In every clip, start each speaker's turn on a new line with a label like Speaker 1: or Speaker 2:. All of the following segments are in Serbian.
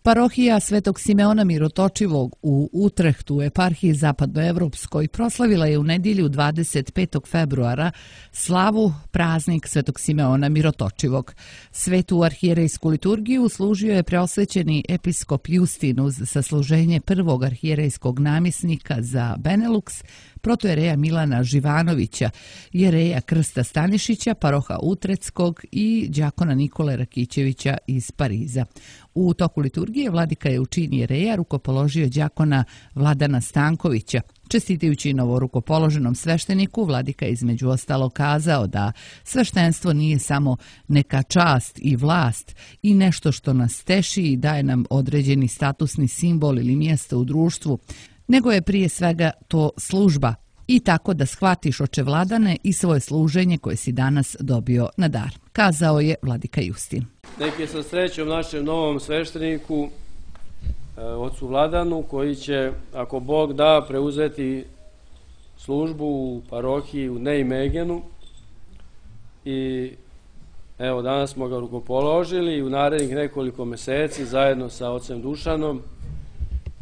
Speaker 1: Parohija Svetog Simeona Mirotočivog u Utrehtu, eparhiji zapadnoevropskoj, proslavila je u nedjelju 25. februara slavu praznik Svetog Simeona Mirotočivog. Svetu arhijerejsku liturgiju služio je preosvećeni episkop Justin uz sasluženje prvog arhijerejskog namjesnika za Benelux, protojereja Milana Živanovića, jereja Krsta Stanišića, paroha Utrehtskog i đakona Nikole Rakićevića iz Pariza. U toku liturgije vladika je u čin jereja rukopoložio đakona Vladana Stankovića. Čestitajući novorukopoloženom svešteniku, vladika je između ostalo kazao da sveštenstvo nije samo neka čast i vlast i nešto što nas teši i daje nam određeni statusni simbol ili mjesto u društvu, nego je prije svega to služba i tako da shvatiš, oče Vladane, i svoje služenje koje si danas dobio na dar, kazao je vladika Justin.
Speaker 2: Neki sa srećom našem novom svešteniku, ocu Vladanu, koji će, ako Bog da, preuzeti službu u parohiji u Nijmegenu. I evo, danas smo ga rukopoložili i u narednih nekoliko mjeseci zajedno sa ocem Dušanom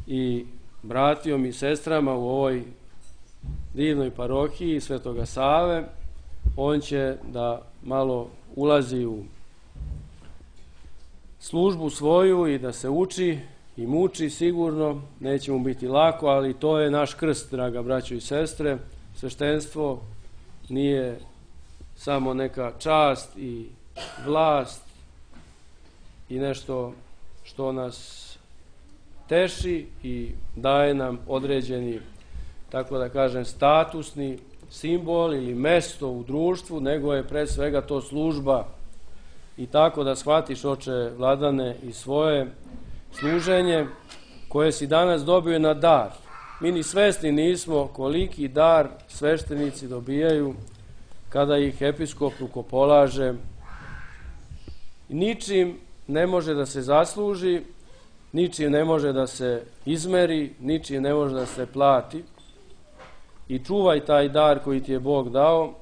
Speaker 2: i bratijom i sestrama u ovoj divnoj parohiji Svetoga Save, on će da malo ulazi u službu svoju i da se uči i muči sigurno. Neće mu biti lako, ali to je naš krst, draga braćo i sestre. Sveštenstvo nije samo neka čast i vlast i nešto što nas teši i daje nam određeni, tako da kažem, statusni simbol ili mesto u društvu, nego je pre svega to služba. I tako da shvatiš, oče Vladane, i svoje služenje koje si danas dobio na dar. Mi ni svesni nismo koliki dar sveštenici dobijaju kada ih episkop rukopolaže. Ničim ne može da se zasluži, ničim ne može da se izmeri, ničim ne može da se plati. I čuvaj taj dar koji ti je Bog dao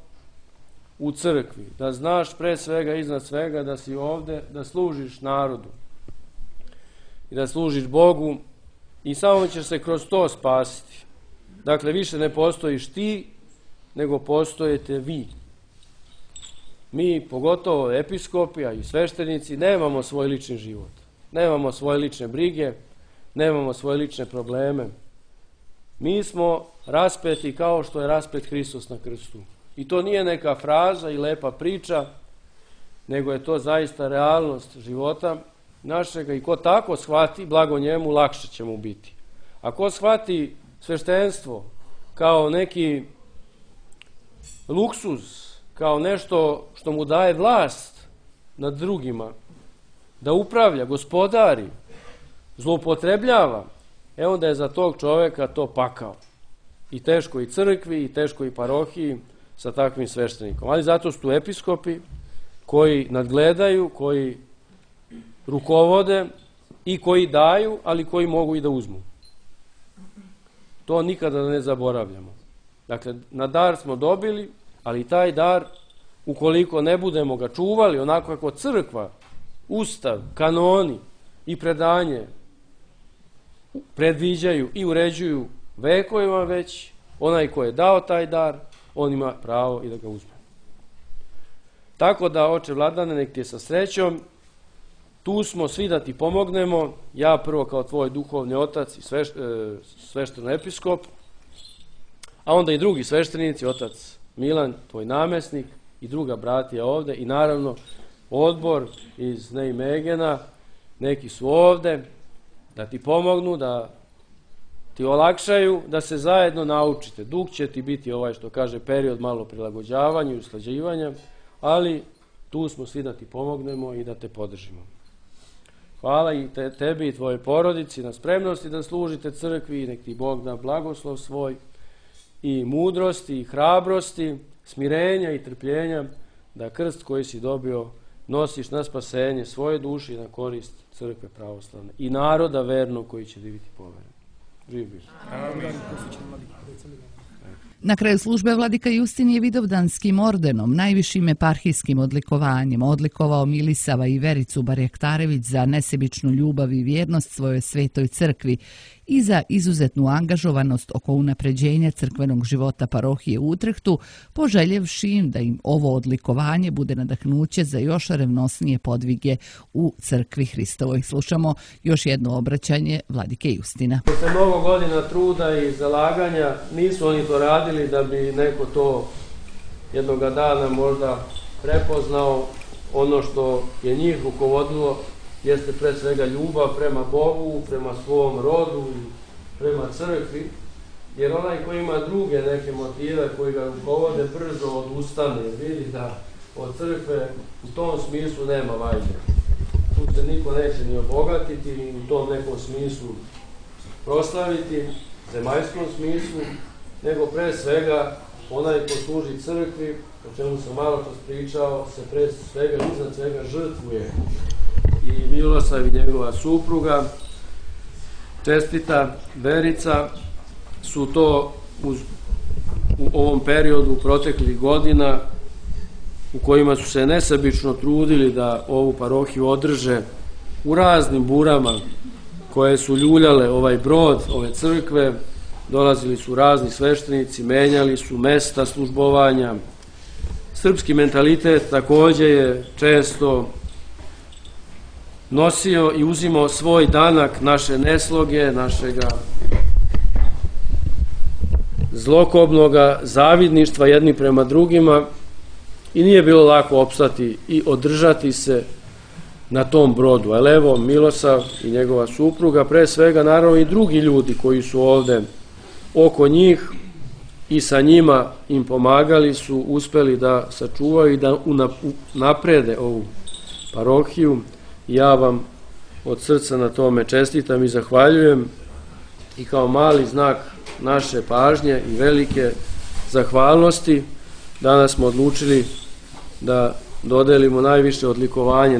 Speaker 2: u crkvi, da znaš pre svega, iznad svega, da si ovde, da služiš narodu i da služiš Bogu i samo ćeš se kroz to spasiti. Dakle, više ne postojiš ti, nego postojete vi. Mi, pogotovo episkopi, a i sveštenici, nemamo svoj lični život, nemamo svoje lične brige, nemamo svoje lične probleme. Mi smo raspeti kao što je raspet Hristos na krstu. I to nije neka fraza i lepa priča, nego je to zaista realnost života našega i ko tako shvati, blago njemu, lakše će mu biti. A ko shvati sveštenstvo kao neki luksuz, kao nešto što mu daje vlast nad drugima, da upravlja, gospodari, zloupotrebljava, onda je za tog čoveka to pakao. I teško i crkvi, i teško i parohiji sa takvim sveštenikom. Ali zato su tu episkopi koji nadgledaju, koji rukovode i koji daju, ali koji mogu i da uzmu. To nikada ne zaboravljamo. Dakle, na dar smo dobili, ali taj dar, ukoliko ne budemo ga čuvali, onako kako crkva, ustav, kanoni i predanje predviđaju i uređuju vekovima već, onaj ko je dao taj dar, on ima pravo i da ga uzme. Tako da, oče Vladane, nek ti je sa srećom, tu smo svi da ti pomognemo, ja prvo kao tvoj duhovni otac i svešteno episkop, a onda i drugi sveštenici, otac Milan, tvoj namjesnik, i druga bratija ovde, i naravno odbor iz Nijmegena, neki su ovde, da ti pomognu, da ti olakšaju, da se zajedno naučite. Dug će ti biti ovaj, što kaže, period malo prilagođavanja i usklađivanja, ali tu smo svi da ti pomognemo i da te podržimo. Hvala i tebi i tvojoj porodici na spremnosti da služite crkvi i nek ti Bog da blagoslov svoj i mudrosti i hrabrosti, smirenja i trpljenja, da krst koji si dobio nosiš na spasenje svoje duše i na korist crkve pravoslavne i naroda vernog koji će biti poveren. Živ bih.
Speaker 1: Na kraju službe vladika Justin je Vidovdanskim ordenom, najvišim eparhijskim odlikovanjem, odlikovao Milisava i Vericu Barjaktarević za nesebičnu ljubav i vjernost svojoj svetoj crkvi i za izuzetnu angažovanost oko unapređenja crkvenog života parohije u Utrehtu, poželjevši im da im ovo odlikovanje bude nadahnuće za još revnosnije podvige u crkvi Hristovoj. Slušamo još jedno obraćanje vladike Justina.
Speaker 2: Posle mnogo godina truda i zalaganja nisu oni to radili da bi neko to jednoga dana možda prepoznao. Ono što je njih rukovodilo jeste pre svega ljubav prema Bogu, prema svom rodu i prema crkvi, jer onaj koji ima druge neke motive koji ga rukovode brzo odustane, vidi da od crkve u tom smislu nema vajde. Tu se niko neće ni obogatiti, ni u tom nekom smislu proslaviti, zemaljskom smislu, nego pre svega onaj ko služi crkvi, o čemu sam malo čas pričao, se pre svega iznad svega žrtvuje. I Milosav i njegova supruga, čestita Verica, su to u ovom periodu proteklih godina u kojima su se nesebično trudili da ovu parohiju održe u raznim burama koje su ljuljale ovaj brod, ove crkve. Dolazili su razni sveštenici, menjali su mesta službovanja. Srpski mentalitet takođe je često nosio i uzimao svoj danak naše nesloge, našega zlokobnoga zavidništva jedni prema drugima i nije bilo lako opstati i održati se na tom brodu. Ali evo, Milosav i njegova supruga, pre svega naravno i drugi ljudi koji su ovde oko njih i sa njima im pomagali, su uspeli da sačuvaju i da naprede ovu parohiju. Ja vam od srca na tome čestitam i zahvaljujem, i kao mali znak naše pažnje i velike zahvalnosti danas smo odlučili da dodelimo najviše odlikovanje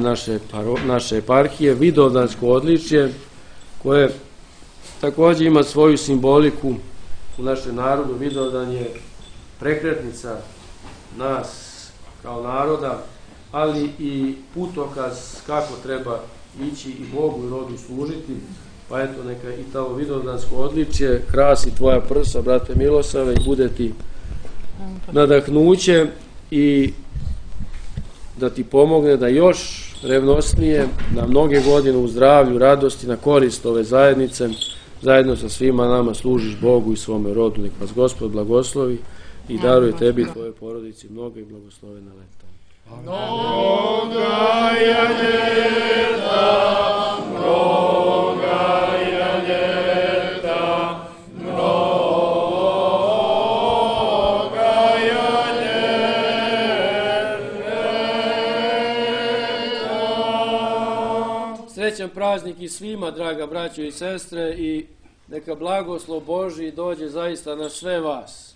Speaker 2: naše eparhije, Vidovdansko odličje, koje takođe ima svoju simboliku u našem narodu. Vidovdan je prekretnica nas kao naroda, ali i putokaz kako treba ići i Bogu i rodu služiti. Pa eto, neka i to Vidovdansko odličje krasi tvoja prsa, brate Milosave, i bude ti nadahnuće i da ti pomogne da još revnosnije, na mnoge godine u zdravlju, radosti, na korist ove zajednice, zajedno sa svima nama služiš Bogu i svome rodu. Nek vas Gospod blagoslovi i daruje tebi i tvojoj porodici mnoga i blagoslovena leta.
Speaker 3: Mnoga je ljeta, mnoga je ljeta, mnoga je ljeta.
Speaker 2: Srećan praznik i svima, draga braćo i sestre, i neka blagoslov Božji dođe zaista na sve vas.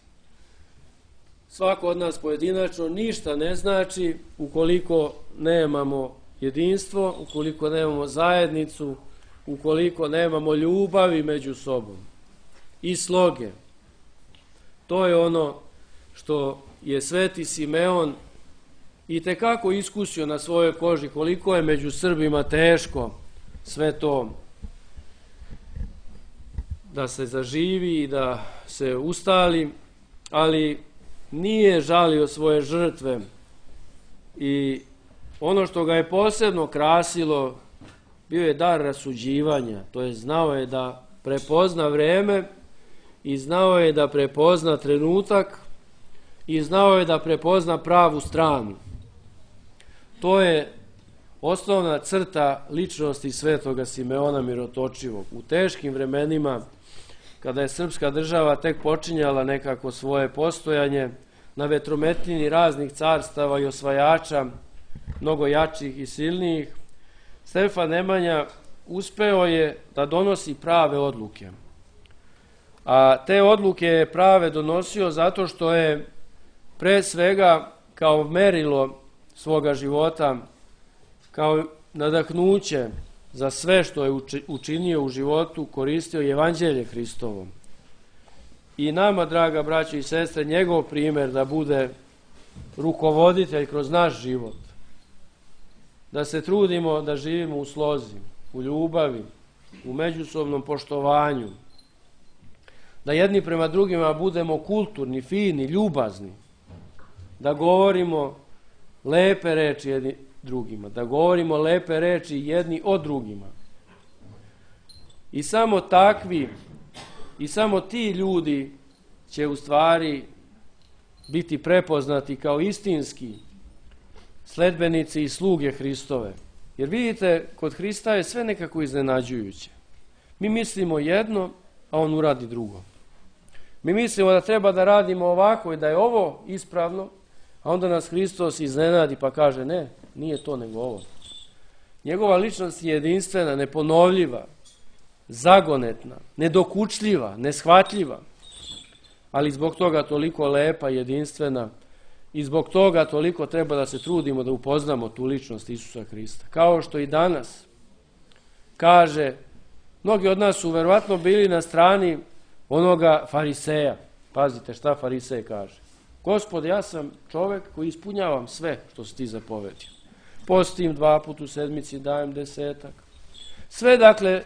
Speaker 2: Svako od nas pojedinačno ništa ne znači ukoliko nemamo jedinstvo, ukoliko nemamo zajednicu, ukoliko nemamo ljubavi među sobom i sloge. To je ono što je sveti Simeon itekako iskusio na svojoj koži, koliko je među Srbima teško sve to da se zaživi i da se ustali, ali nije žalio svoje žrtve. I ono što ga je posebno krasilo bio je dar rasuđivanja, to je znao je da prepozna vreme i znao je da prepozna trenutak i znao je da prepozna pravu stranu. To je osnovna crta ličnosti svetoga Simeona Mirotočivog. U teškim vremenima, kada je srpska država tek počinjala nekako svoje postojanje, na vetrometini raznih carstava i osvajača, mnogo jačih i silnijih, Stefan Nemanja uspeo je da donosi prave odluke. A te odluke je prave donosio zato što je pre svega kao merilo svoga života, kao nadahnuće za sve što je učinio u životu, koristio Evanđelje Hristovo. i nama, draga braćo i sestre, njegov primjer da bude rukovoditelj kroz naš život. Da se trudimo da živimo u slozi, u ljubavi, u međusobnom poštovanju. Da jedni prema drugima budemo kulturni, fini, ljubazni. Da govorimo lepe reči jedni drugima. Da govorimo lepe reči jedni o drugima. I samo takvi i samo ti ljudi će u stvari biti prepoznati kao istinski sledbenici i sluge Hristove. Jer vidite, kod Hrista je sve nekako iznenađujuće. Mi mislimo jedno, a on uradi drugo. Mi mislimo da treba da radimo ovako i da je ovo ispravno, a onda nas Hristos iznenadi pa kaže ne, nije to nego ovo. Njegova ličnost je jedinstvena, neponovljiva, zagonetna, nedokučljiva, neshvatljiva, ali zbog toga toliko lepa, jedinstvena i zbog toga toliko treba da se trudimo da upoznamo tu ličnost Isusa Hrista. Kao što i danas kaže, mnogi od nas su verovatno bili na strani onoga fariseja. Pazite šta farisej kaže. Gospod, ja sam čovek koji ispunjavam sve što si ti zapovedio. Postim 2 puta u sedmici, dajem 10. Sve, dakle,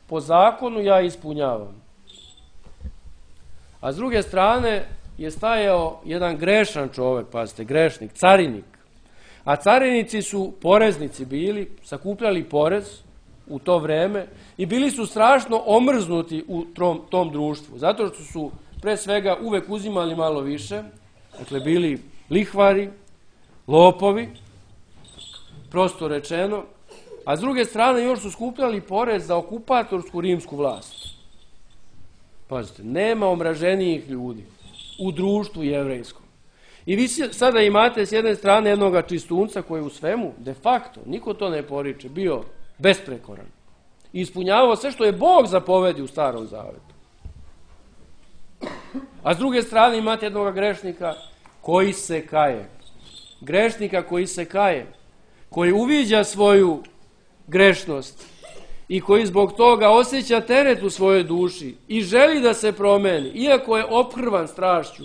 Speaker 2: po zakonu ja ispunjavam. A s druge strane je stajao jedan grešan čovek, pazite, grešnik, carinik. A carinici su poreznici bili, sakupljali porez u to vreme i bili su strašno omrznuti u tom društvu. Zato što su pre svega uvek uzimali malo više, dakle bili lihvari, lopovi, prosto rečeno, a s druge strane još su skupljali porez za okupatorsku rimsku vlast. Pazite, nema omraženijih ljudi u društvu jevrejskom. I vi sada imate s jedne strane jednoga čistunca koji u svemu, de facto, niko to ne poriče, bio besprekoran. I ispunjavao sve što je Bog zapovedio u Starom Zavetu. A s druge strane imate jednoga grešnika koji se kaje. Grešnika koji se kaje, koji uviđa svoju grešnost i koji zbog toga osjeća teret u svojoj duši i želi da se promeni, iako je ophrvan strašću,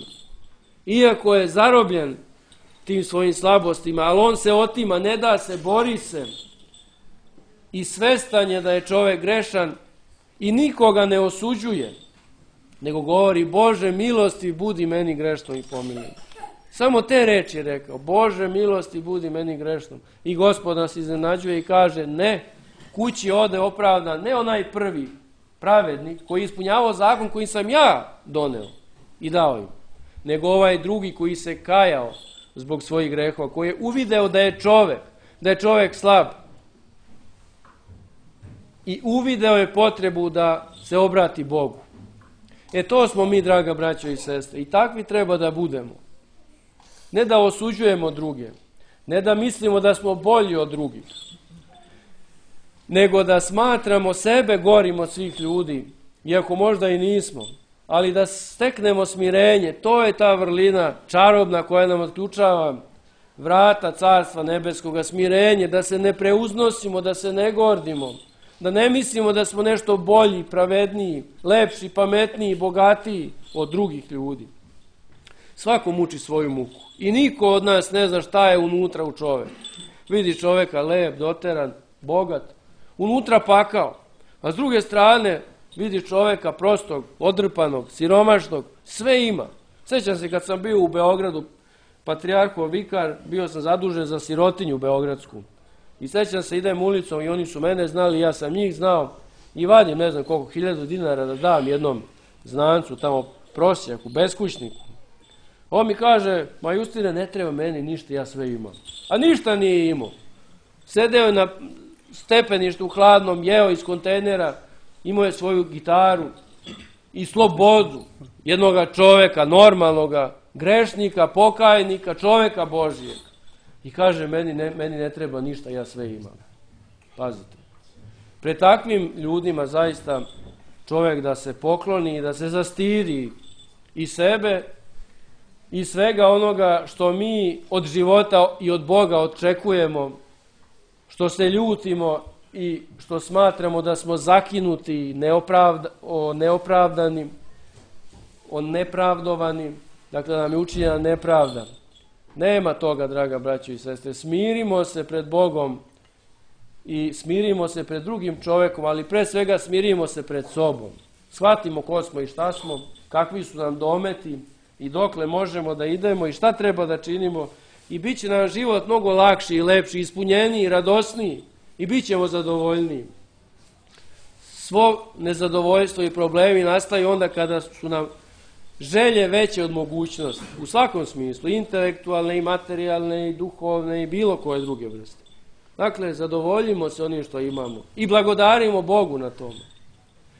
Speaker 2: iako je zarobljen tim svojim slabostima, ali on se otima, ne da se, bori se i svestan je da je čovjek grešan i nikoga ne osuđuje, nego govori, Bože milosti, budi meni grešnom i pomiluj. Samo te reči je rekao, Bože milosti, budi meni grešnom. I Gospod nas iznenađuje i kaže, ne, kući ode opravdan, ne onaj prvi pravednik koji ispunjavao zakon koji sam ja doneo i dao im, nego ovaj drugi koji se kajao zbog svojih grehova, koji je uvideo da je čovjek slab i uvideo je potrebu da se obrati Bogu. To smo mi, draga braćo i sestre, i takvi treba da budemo. Ne da osuđujemo druge, ne da mislimo da smo bolji od drugih, nego da smatramo sebe gorim od svih ljudi, iako možda i nismo, ali da steknemo smirenje, to je ta vrlina čarobna koja nam otključava vrata Carstva Nebeskoga, smirenje, da se ne preuznosimo, da se ne gordimo, da ne mislimo da smo nešto bolji, pravedniji, lepši, pametniji, bogatiji od drugih ljudi. Svako muči svoju muku i niko od nas ne zna šta je unutra u čoveku. Vidi čoveka lep, doteran, bogat, unutra pakao, a s druge strane vidi čoveka prostog, odrpanog, siromašnog, sve ima. Sjećam se kad sam bio u Beogradu, patrijarhov vikar, bio sam zadužen za sirotinju beogradsku. I sjećam se, idem ulicom i oni su mene znali, ja sam njih znao i vadim, ne znam koliko, 1000 dinara da dam jednom znancu, tamo prosjaku, beskućniku. On mi kaže, ma Justine, ne treba meni ništa, ja sve imam. A ništa nije imao. Sedeo je na stepeništu hladnom, jeo iz kontejnera, imao je svoju gitaru i slobodu jednoga čoveka, normalnoga, grešnika, pokajnika, čoveka Božijeg. I kaže, meni ne treba ništa, ja sve imam. Pazite. Pred takvim ljudima zaista čovjek da se pokloni i da se zastidi i sebe i svega onoga što mi od života i od Boga očekujemo, što se ljutimo i što smatramo da smo zakinuti, neopravdani, nepravdovanim, dakle nam je učinjena nepravda. Nema toga, draga braćo i sestre. Smirimo se pred Bogom i smirimo se pred drugim čovjekom, ali pre svega smirimo se pred sobom. Shvatimo ko smo i šta smo, kakvi su nam dometi i dokle možemo da idemo i šta treba da činimo i bit će nam život mnogo lakši i lepši, ispunjeniji i radosniji i bit ćemo zadovoljniji. Svo nezadovoljstvo i problemi nastaju onda kada su nam želje veće od mogućnosti, u svakom smislu, intelektualne i materijalne i duhovne i bilo koje druge vrste. Dakle, zadovoljimo se onim što imamo i blagodarimo Bogu na tome.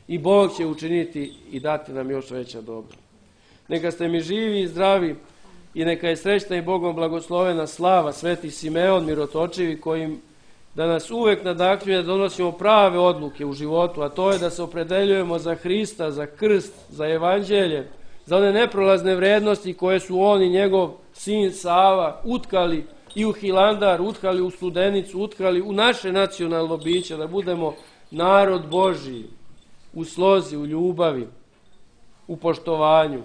Speaker 2: I Bog će učiniti i dati nam još veća dobra. Neka ste mi živi i zdravi i neka je srećna i Bogom blagoslovena slava Sveti Simeon Mirotočivi kojim da nas uvek nadahljuje da donosimo prave odluke u životu, a to je da se opredeljujemo za Hrista, za krst, za evanđelje, za one neprolazne vrednosti koje su on i njegov sin Sava utkali i u Hilandar, utkali u Studenicu, utkali u naše nacionalno biće, da budemo narod Božiji, u slozi, u ljubavi, u poštovanju.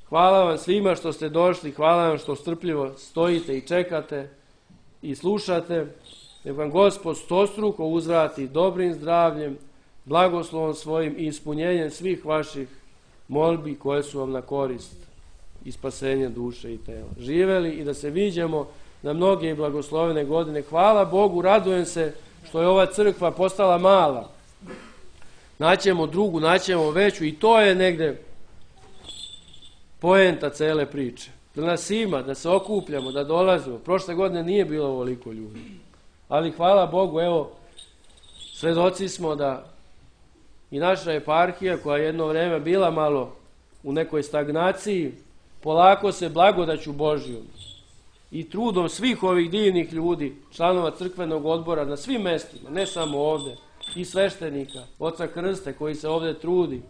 Speaker 2: Hvala vam svima što ste došli, hvala vam što strpljivo stojite i čekate i slušate. Nek vam Gospod stostruko uzvrati dobrim zdravljem, blagoslovom svojim i ispunjenjem svih vaših molbi koje su vam na korist i spasenje duše i tela. Živeli i da se viđemo na mnoge i blagoslovene godine. Hvala Bogu, radujem se što je ova crkva postala mala. Naćemo drugu, naćemo veću i to je negde poenta cele priče. Da nas ima, da se okupljamo, da dolazimo. Prošle godine nije bilo ovoliko ljudi. Ali hvala Bogu, evo, svedoci smo da i naša eparhija, koja je jedno vreme bila malo u nekoj stagnaciji, polako se blagodaću Božjom i trudom svih ovih divnih ljudi, članova crkvenog odbora na svim mestima, ne samo ovde, i sveštenika, oca Krste koji se ovde trudi,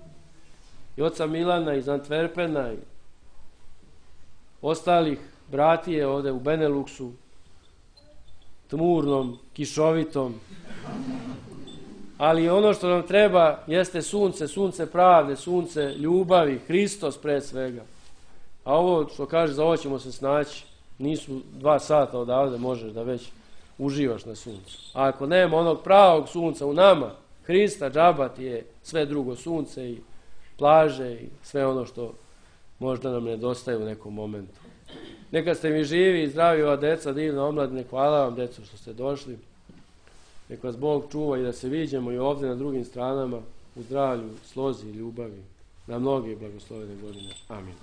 Speaker 2: i oca Milana iz Antwerpena i ostalih bratije ovde u Beneluksu, tmurnom, kišovitom. Ali ono što nam treba jeste sunce, sunce pravde, sunce ljubavi, Hristos pre svega. A ovo što kaže, za ovo ćemo se snaći, nisu 2 sata odavde, možeš da već uživaš na suncu. A ako nema onog pravog sunca u nama, Hrista, džaba ti je sve drugo, sunce i plaže i sve ono što možda nam nedostaje u nekom momentu. Neka ste mi živi i zdravi ova deca, divna omladine, hvala vam deco što ste došli. Neka vas Bog čuva i da se viđemo i ovdje na drugim stranama u zdravlju, slozi i ljubavi na mnoge blagoslovene godine. Amin.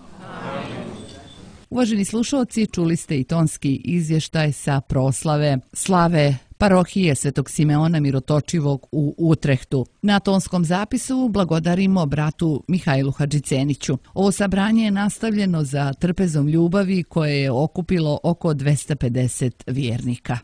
Speaker 1: Uvaženi slušalci, čuli ste i tonski izvještaj sa proslave slave parohije Svetog Simeona Mirotočivog u Utrehtu. Na tonskom zapisu blagodarimo bratu Mihajlu Hadžiceniću. Ovo sabranje je nastavljeno za trpezom ljubavi koje je okupilo oko 250 vjernika.